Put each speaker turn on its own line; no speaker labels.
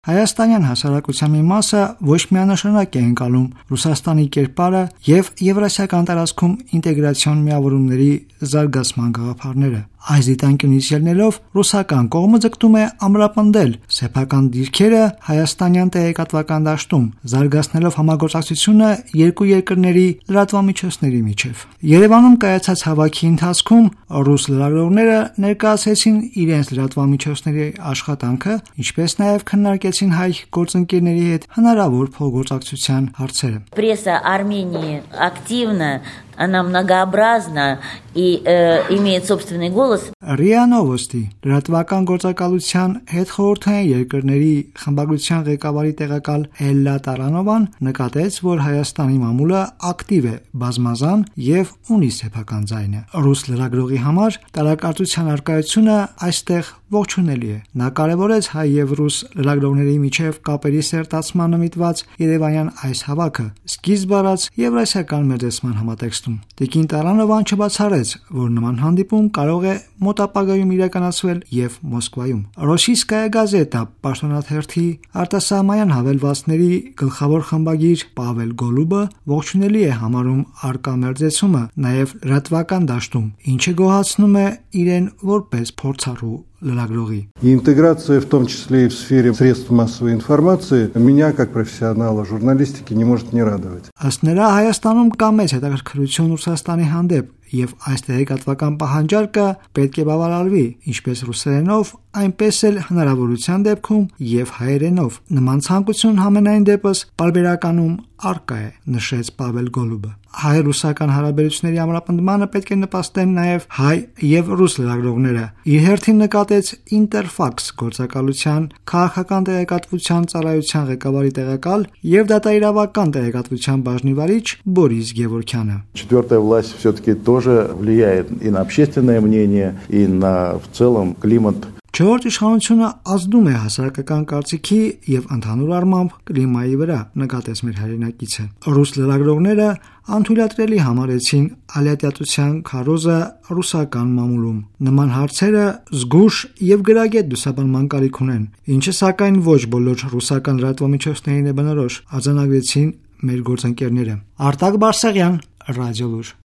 Հայաստանյան հասարակության մի մասը ոչ միանշանակ է ընկալում Ռուսաստանի կերպարը եւ Եվրասիական տարածքում ինտեգրացիոն միավորումների զարգացման գաղափարները։ Այս դիտանկյունից ելնելով ռուսական կողմը ձգտում է ամրապնդել սեփական դիրքերը հայաստանյան տեղեկատվական դաշտում, զարգացնելով համագործակցությունը երկու երկրների լրատվամիջոցների միջև։ Երևանում կայացած հավաքի ընթացքում ռուս լրագրողները ներկայացրեցին իրենց լրատվամիջոցների աշխատանքը, ինչպես նաև քննարկեցին հայ գործընկերների հետ հնարավոր փոխգործակցության հարցերը։
Пресса Армении активна, она многообразна и имеет собственный голос.
ՌԻԱ Նովոստի լրատվական գործակալության հետխորհրդային երկրների խմբագրության ղեկավարի տեղակալ Էլլա Տարանովան նկատեց, որ Հայաստանի մամուլը ակտիվ է, բազմազան եւ ունի սեփական ձայնը։ Ռուս լրագրողի համար տարակարծության առկայությունը այստեղ ողջունելի է։ Նա կարևորեց հայ եւ ռուս լրագրողների միջև կապերի սերտացմանը միտված երևանյան այս հավաքը, սկիզբ առած Եվրասիական մեծացման համատեքստում։ Տիկին Տարանովան չբացառեց, որ նման հանդիպում կարող է մոտ ապագայում իրականացվել եւ Մոսկվայում։ Ռոսիյսկայա գազետա պաշտոնաթերթի արտասահմանյան հավելվածների գլխավոր խմբագիր Պավել Գոլուբը ողջունելի է համարում արկա մերձեցումը նաեւ լրատվական դաշտում, ինչը գոհացնում է իրեն որպես փորձառու լրագրողի։
Интеграция, в том числе и в сфере средств массовой информации, меня, как профессионала журналистики, не может не радовать.
Ըստ նրա Հայաստանում կա մեծ հետաքրքրություն Ռուսաստանի հանդեպ եւ այս տեղեկատվական պահանջարկը պետք է բավարարվի, ինչպես ռուսերենով, այնպես էլ հնարավորության դեպքում եւ հայերենով։ Նման ցանկություն համենայն դեպս պարբերականում արկա է, նշեց Պավել Գոլուբը։ Հայ-ռուսական հարաբերությունների ամրապնդմանը պետք է նպաստեն նաև հայ եւ ռուս լրագրողները։ Իր հերթին նկատեց Interfax գործակալության քաղաքական տեղեկատվության ծառայության ղեկավարի տեղակալ եւ դատաիրավական տեղեկատվության բաժնի վարիչ Բորիս Գևորքյանը։
Четвертая власть все-таки тоже влияет и на общественное мнение, и на в целом климат.
Չորրորդ իշխանությունը ազդում է հասարակական կարծիքի եւ ընդհանուր առմամբ կլիմայի վրա, նկատեց մեր հայրենակիցը։ Ռուս լրագրողները անթույլատրելի համարեցին ալիատիատության քարոզը ռուսական մամուլում։ Նման հարցերը զգուշ եւ գրագետ լուսաբանման կարիք ունեն, ինչը սակայն ոչ բոլոր ռուսական լրատվամիջոցներին է բնորոշ, արձանագրեցին մեր գործընկերները։ Արտակ Բարսեղյան, Ռադիոլուր։